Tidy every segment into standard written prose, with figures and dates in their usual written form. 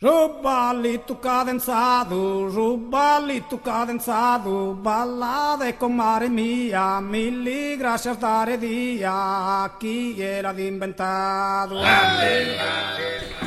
Su ballitu cadenzadu, su ballitu cadenzadu, ballade comare mia, milli grascias dare dia, chie l'at imbentadu.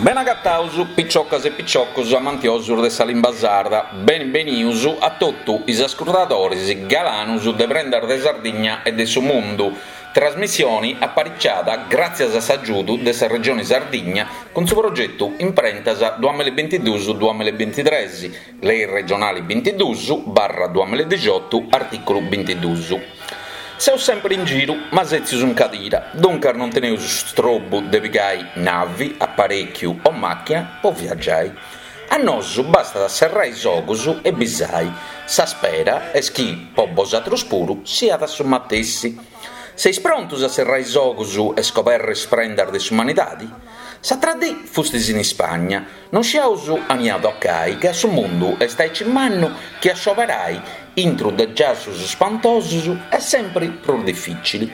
Bene agataus piciocas e piciocos amantiosos de sa limba sarda, beni benius a totu is ascurtadores galanus de Prendas de Sardigna e de su Mundu, Trasmissioni apariciada gràtzias a s'agiudu de sa Regioni Sardigna cun su progetu Imprentas duamilla e bintiduus duamilla e bintitres, Lei regionali bintiduus barra duamilla e dixiotu artìculu bintiduus. Seus sempri in giru, ma sètzius in cadira, duncas non teneus strobu de pigai navi, aparèchiu o màchina po viagiai. A nosu bastat a serrai is ogus e bisai, sa spera est chi po bosatrus puru siat su matessi. Seis prontus a serrai is ogus e scoberri is prendas de s'umanidadi? S'atra dì fustis in Ispagna, non sciaus aunia tocai ca su mundu est aici mannu chi a scioberai intru de giassus spantosus est sempri prus dificili.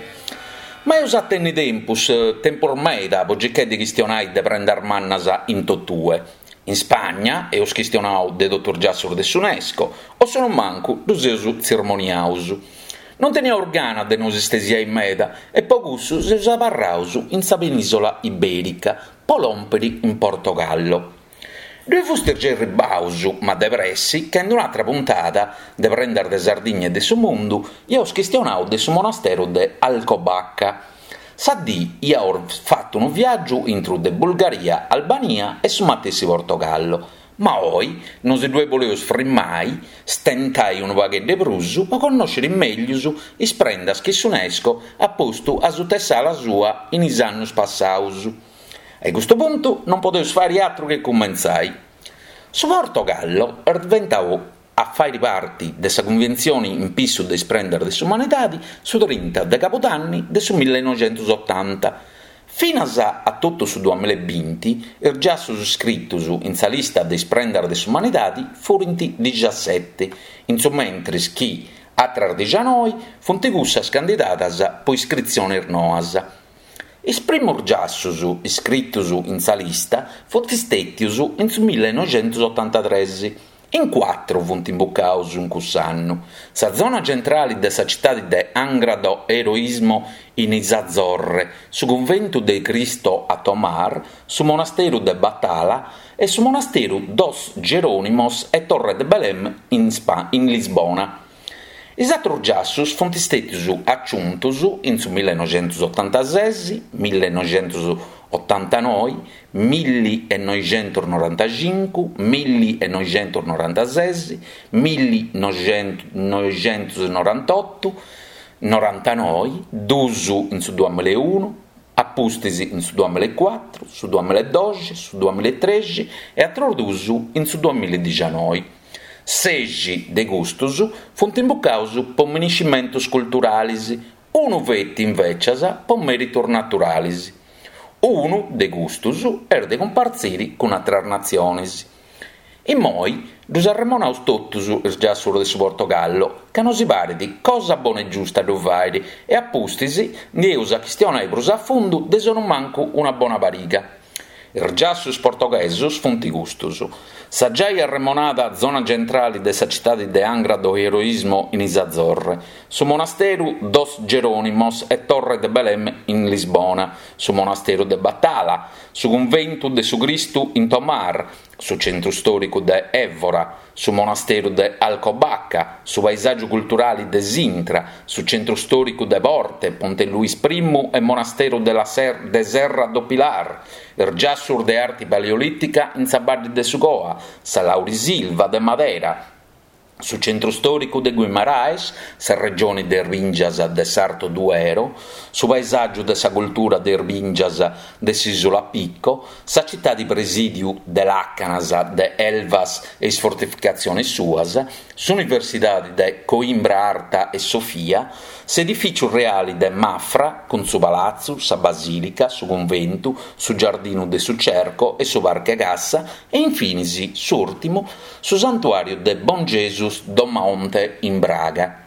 Ma eus a tenni tempus, tempus meda po circai de chistionai de prendas mannas in totue. In Spagna eus chistionau de totu is giassus de s'Unesco, o su mancu ddus eus tzirmoniaus. Non teniaus gana de nos istesiai meda e po cussu seus abarraus in sa penisola iberica po lòmpiri in Portogallo. Ddoi fustis giai erribaus, ma de pressi, ca in un'atra puntada de Prendas de Sardigna e de su Mundu iaus chistionau de su monasteru de Alcobaca. Sa dì iaus fatu unu viàgiu intru de Bulgaria, Albania e su matessi Portogallo, ma oi nosi ddue boleus frimai, stentai unu pagheddu 'e prus po connòsciri meglius is prendas chi s'Unesco at postu asuta 'e s'ala sua in is annus passaus. A custu puntu non podeus fari atru che cumentzai. Su Portogallo est diventau a fàiri parti de sa Cunventzioni in pissu de is prendas de s'umanidadi su trinta de cabudanni de su millenoixentusotanta. Finas a totu su duamillebinti is giassus scritus in sa lista de is prendas de s'umanidadi furint dixaseti, in su mentris chi atras dixanoi funt cussas candidadas po iscritzionis noas. Is primus giassus iscritus in sa lista funt stètius in su millenoixentusotantatres. In cuatru funt imbucaus in cuss'annu, sa zona centrali de sa citadi de Angra do Heroísmo in is Azzorre, su cunventu de Cristo a Tomar, su monasteru de Batalha e su monasteru dos Jerónimos e Torre de Belém in Lisbona. Is atrus giassus funt stètius aciuntus in su millenoixentusotantases, millenoixentusotantanoi, millinoixentusnorantacincu, millinoixentusnorantases, millinoixentusnorantotu, norantanoi, dus in su duamillaeunu, a pustis in su duamillaecuatru, su duamillaedoxi, su duamillaetrexi e atrus dus in su duamilladixanoi. Sexi de custus funt imbucaus po miniscimentus culturalis, unu feti invècias po mèritus naturalis. Unu de custus est de cumpartziri cun atras natzionis. Immoi ddus arremonaus totus is giassus de su Portogallo, ca nosi parit cosa bona e giusta ddu fàiri e a pustis ndi eus a chistionai prus a fundu de sonumancu una bona pariga. Is giassus portoghesus funt custus, sa giai arremonada zona centrali de sa citadi de Angra do Heroísmo in is Azzorre, su monasteru dos Jerónimos e Torre de Belém in Lisbona, su monasteru de Batalha, su cunventu de su Cristu in Tomar, su centru stòricu de Évora, su monasteru de Alcobaca, su paesàgiu culturali de Sintra, su centru stòricu de Porte, Ponte Luis Primu e monasteru de la de Serra do Pilar, is giassus de arti paleolìtica in sa baddi de su Coa, sa Laurisilva de Madera, su centru stòricu de Guimarães, sa regioni de is bìngias de s'Alto Duero, su paesàgiu de sa cultura de is bìngias de s'ìsula Pico, sa citadi presìdiu de làcanas de Elvas e is fortificatziones suas, s'Universidadi de Coimbra Arta e Sofia, s'edifìciu reali de Mafra cun su palatzu, sa basìlica, su cunventu, su giardinu de su Cerco e su Parche Cassa e infinis, s'ùrtimu, su santuàriu de Bom Jesus do Monte in Braga.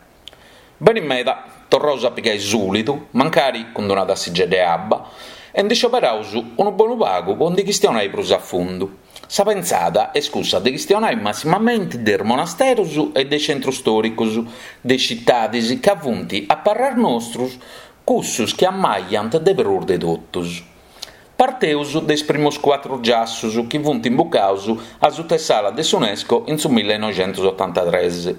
Beni meda, torraus a pigai sulidu, mancari cun d'una tassigedda 'e abba. E ndi scioberaus unu bonu pagu po ndi chistionai prus a fundu. Sa pentzada est cussa de chistionai massimamenti de is monasterus e de is centrus storicus de is citadis ca funt, a parrer nostrus, cussus chi ammajant de prus de totus. Parteus de is primus cuatru giassus chi funt imbucaus asuta 'e s'ala de s'Unesco in su millenoixentusotantatres.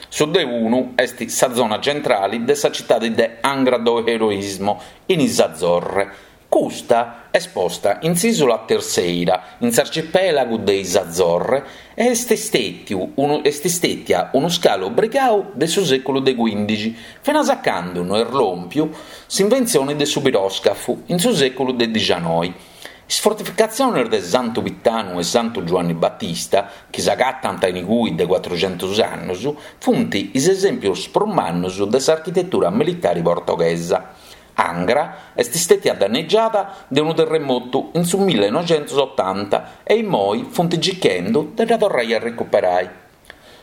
Su de unu est sa zona centrali de sa citadi de Angra do Heroísmo, in is Azzorre. Custa est posta in s'ìsula Terceira, in s'arcipèlagu de is Azzorre, e est stètiu unu est stètia unu scalu obrigau de su sèculu de cuìndixi, finas a candu no est lòmpiu s'inventzioni de su piròscafu in su sèculu de dixanoi. Is fortificatziones de Santu Pitanu e Santu Giuanni Batista, chi s'agatant in igui de cuatruxentus annus, funt is esèmpios prus mannus de s'architetura militari portoghesa. Angra est stètia dannegiada de unu terremotu in su millenoixentusotanta e immoi funt circhendu de dda torrai a recuperai.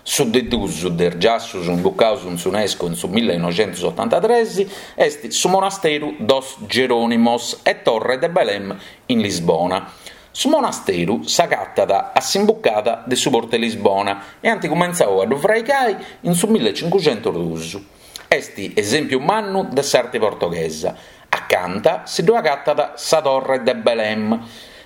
Su de dus de is giassus imbucaus in s'Unesco in su millenoixentusotantatres est su monasteru dos Geronimos e Torre de Belém in Lisbona. Su monasteru s'agatat a s'imbucada de su portu 'e Lisbona e ant cumentzau a ddu fraigai in su millecincuxentusdus. Est esèmpiu mannu de s'arti portoghesa. Acanta si ddu agatat sa Torre de Belém,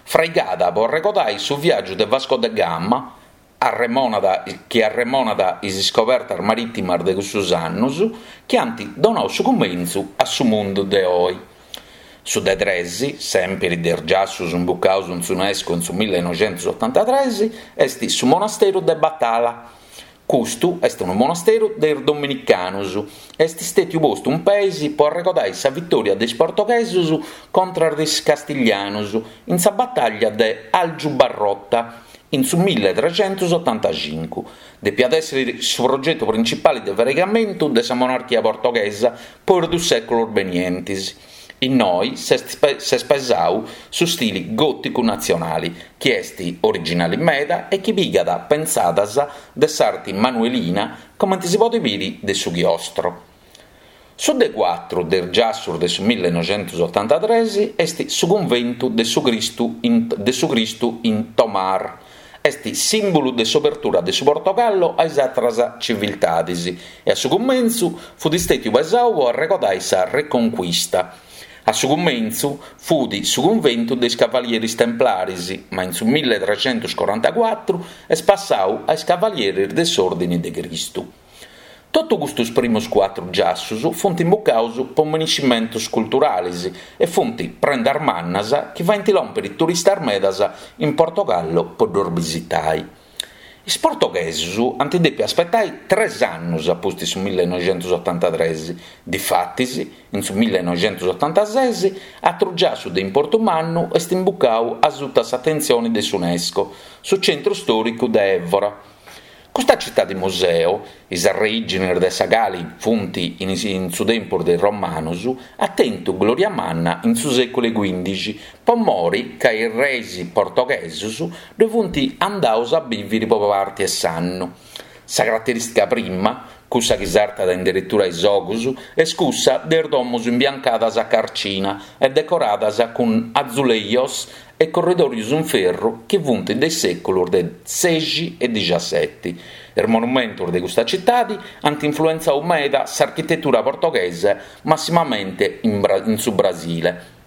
fraigada po arregodai su viàgiu de Vasco de Gama, arremonat chi arremonat is iscobertas marìtimas de cussus annus chi ant donau su cumentzu a su mundu de oi. Su de tres, sèmpiri de is giassus imbucaus in s'Unesco in su millenoixentusotantatres, est su monasteru de Batala. Custu est unu monasteru de is dominicanus e est stètiu postu in peis po arregodai sa vitòria de is portoghesus contras de is castiglianus in sa batàllia de Aljubarrota in su milletrecentusotantacincu. Depiat èssiri su progetu principali de fraigamentu de sa monarchia portoghesa po is dus sèculos benientis. Innoi s'est pesau su stili gòticu natzionali, chi est originali meda e chi pigat pentzadas de s'arti manuelina comenti si podit biri de su chiostro. Su de cuatru de is giassus de su millenoixentusotantatres est su cunventu de su Cristu in de su Cristu in Tomar. Est sìmbulu de s'obertura de su Portogallo a is atras civiltadis e a su cumentzu fut stètiu pesau po arregodai sa Reconquista. A su cumentzu fut su cunventu de is Cavalieris Templaris, ma in su milletrecentuscorantacuatru est passau a is Cavalieris de s'Òrdini de Cristu. Totu custus primus cuatru giassus funt imbucaus po miniscimentus culturalis e funt prendas mannas chi faint lòmpiri turistas medas in Portogallo po ddos bisitai. Is portoghesus ant dèpiu aspetai tres annus a pustis su millenoixentusotantatres, difatis in su millenoixentusotantases atru giassu de importu mannu est imbucau asuta s'atentzioni de s'Unesco, su centru stòricu de Évora. Custa citadi museu, is arreìgines de sa cali funt in su tempus de is Romanus, at tentu glòria manna in su sèculu 'e cuìndixi po mori ca is reis portoghesus ddoi funt andaus a bìviri po parti 'e s'annu. Sa caraterìstica prima, cussa chi sartat in deretura a is ogus, est cussa de is domus imbiancadas a carcina e decoradas cun azulejos e corridòrios in ferru chi funt de is sèculos de sexi e dixaseti. Is monumentos de custa citadi ant influentzadu meda s'architetura portoghesa, massimamente in su Brasile.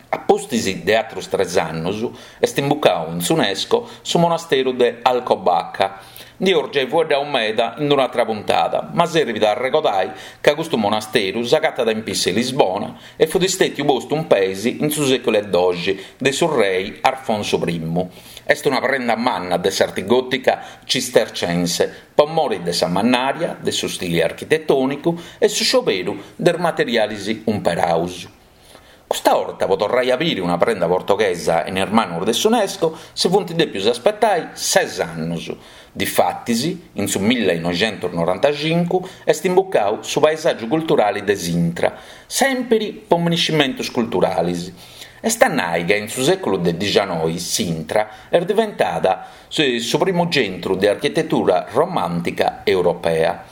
A pustis de atrus tres annus est imbucadu in s'Unesco su monasteru de Alcobaça. Ndi eus giai fueddau meda in un'atra puntada, ma serbit a arregodai ca custu monasteru s'agatat in pissu 'e Lisbona e fut stètiu postu in peis in su sèculu 'e doxi de su rei Arfonsu primu. Est una prenda manna de s'arti gòtica cistercense po mori de sa mannària, de su stili architetònicu e su scioberu de is materialis umperaus. Custa 'orta po torrai a biri una prenda portoghesa in is manus de s'Unesco si funt dèpius aspetai ses annus. Difatis, in su millenoixentusnorantacincu est imbucau su paesàgiu culturali de Sintra, sèmpiri po miniscimentus culturalis. Est a nai ca in su sèculu de dixanoi Sintra est diventada su primu centru de architetura romàntica europea.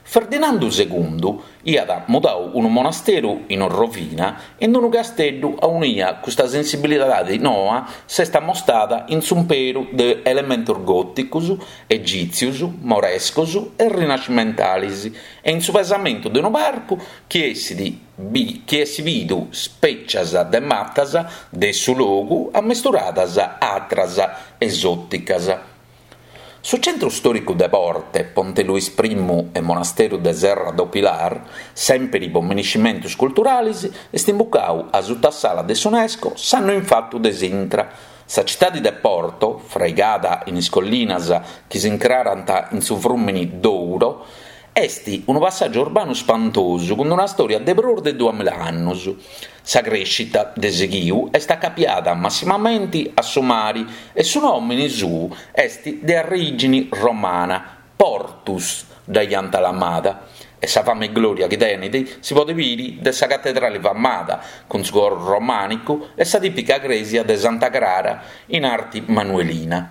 Ferdinandu Segundu iat mudau unu monasteru in orrovina in unu casteddu aunia custa sensibilidadi noa s'est ammostada in s'umperu de elementos gòticos, egìtzios, morescos e rinascimentalis e in su pesamentu de unu parcu chi essit chi essit bidu spècias de matas de su logu ammesturadas a atras esòticas. Su centru stòricu de Porte, Ponte Luis Primu e Monasteru de Serra do Pilar, sèmpiri po miniscimentus culturalis, est imbucau asuta s'ala de s'Unesco s'annu infatu de s'intra. Sa citadi de Porto, fraigada in is collinas chi s'incrarant in su frùmini Douro, Est unu passàgiu urbanu spantosu cun una stòria de prus de duamilla annus. Sa crèscita de sighiu est acapiada massimamenti a su mari e su nòmini suu est de arrìgini romana, Portus dda iant lamada, e sa fama e glòria chi tenit si podit biri de sa catedrali famada cun su coru romànicu e sa tìpica crèsia de Santa Crara in arti manuelina.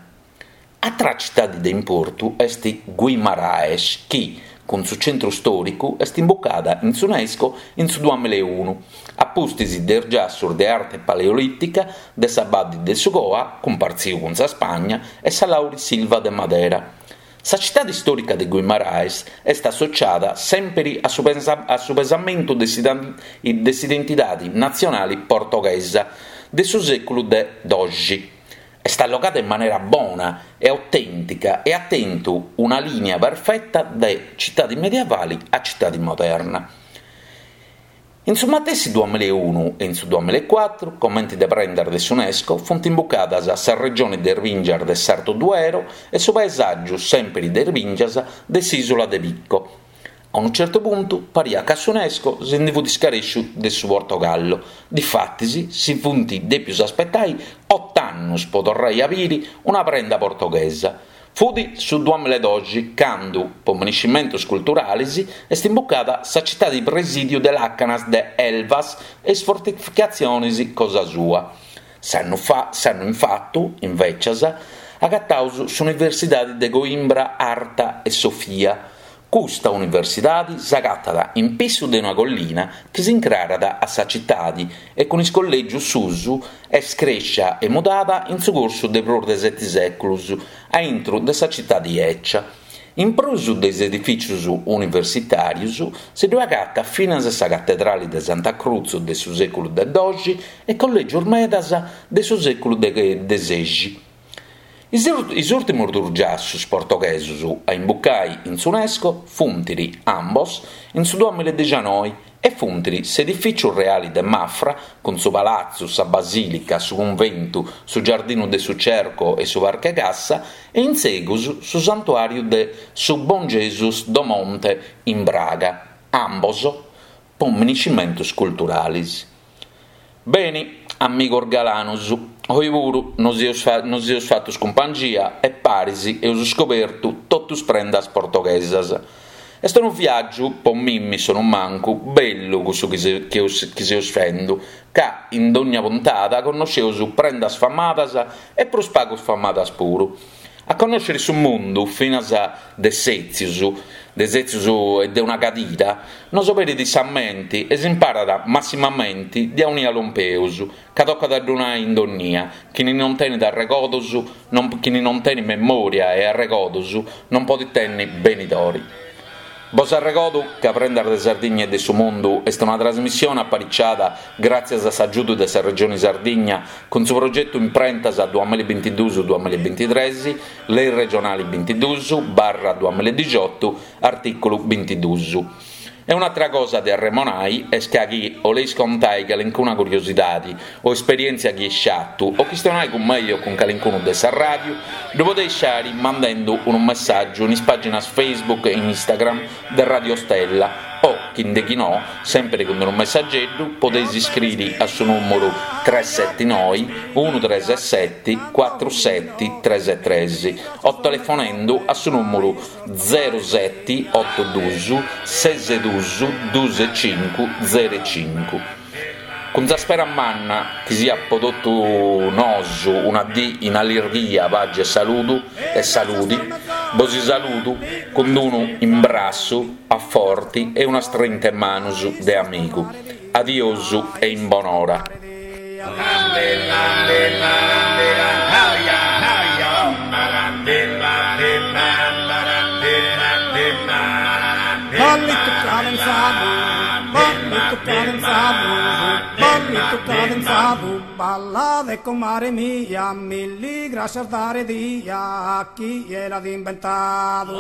Atra citadi de importu est Guimaraes chi, cun su centru stòricu, est imbucada in s'Unesco in su duamilla e unu, a pustis de is giassus de arte paleolìtica de sa Baddi de su Coa, cumpartziu cun sa Spagna, e sa Laurisilva de Madera. Sa citadi stòrica de Guimaraes est associada sèmpiri a su pesamentu de s'identidadi natzionali portoghesa de su sèculu de doxi. Est allogada in manera bona e autèntica e at tentu una lìnia perfeta de citadi medievali a citadi moderna. In su matessi duamilla e unu e in su duamilla e cuatru, comenti de prendas de s'Unesco, funt imbucadas sa regioni de is bìngias de s'Alto Duero e su paesàgiu sèmpiri de is bìngias de s'ìsula de Pico. A unu certu puntu pariat ca s'Unesco si ndi fut scarèsciu de su Portogallo, difatis si funt dèpius aspetai ot'annus po torrai a biri una prenda portoghesa. Fut su duamilla e doxi candu, po miniscimentus culturalis, est imbucada sa citadi presìdiu de làcanas de Elvas e is fortificatzionis cosa sua. S'annu s'annu infatu, invècias, agataus s'Universidadi de Coimbra Arta e Sofia. Custa universidadi s'agatat in pissu de una collina chi s'incrarat a sa citadi e cun is collègius suus est crèscia e mudada in su cursu de prus de seti sèculus a intru de sa citadi 'ècia. In prus de is edifìcius universitàrius si ddoi agatat finas sa catedrali de Santa Cruz de su sèculu de doxi e collègius medas de su sèculu de sexi. Is ùrtimus duus giassus portoghesus a imbucai in s'Unesco funt ambos in su duamilla e dexanoi e funt s'edifìciu reali de Mafra cun su palatzu, sa basìlica, su cunventu, su giardinu de su Cerco e su Parque Cassa e in segus su santuàriu de su Bom Jesus do Monte in Braga, ambos po miniscimentus culturalis. Beni, amigos galanus, oi puru nos nos eus fatus cumpangia e paris eus scobertu totus prendas portoghesas. Est unu viàgiu, po mimmi sonumancu, bellu cussu chi chi seus fendu, ca in dogna puntada connosceus prendas famadas e prus pagus famadas puru. A connòscere su mundu finas de sètzius, de sètzius e de una cadira, nos oberit sa menti e s'imparat massimamenti de aunia lompeus, ca tocat a ddu nai in donnia, chini non tenit arregodus, non chini non tenit memòria e arregodus non podit tenni benidori. Bos arregodu ca Prendas de Sardigna e de su Mundu est una trasmissione apariciada gràtzias a s'agiudu de sa Regioni Sardigna cun su progetu Imprentas duamillabintiduus duamillabintitres, Lei regionali bintiduus barra duamilladixotu, artìculu bintiduus. E un'atra cosa de arremonai est ca chi 'oleis contai calincuna curiosidadi o esperièntzia chi eis fatu o chistionai cun mei o cun calincunu de sa ràdiu, ddu podeis fari mandendu unu messàgiu in is pàginas Facebook e Instagram de Radio Stella o, chi nde chi no, sèmpiri cun unu messageddu, podeis iscriri a su nùmuru tres seti noi unu tres seti cuatru seti tres tres o telefonendu a su nùmuru zeru seti otu dus ses dus dus cincu zeru cincu. Cun sa spera manna chi siat po totu nosu una dì in allirghia, paxi e saludu e saludi, bosi saludu cun unu imbrassu. a forti e una strinta 'e manus de amigu. Adiosu e in bonora. Ballitu cadenzadu, ballitu cadenzadu, ballitu cadenzadu, ballade comare mia, milli grascias dare dia a chie l'at imbentadu.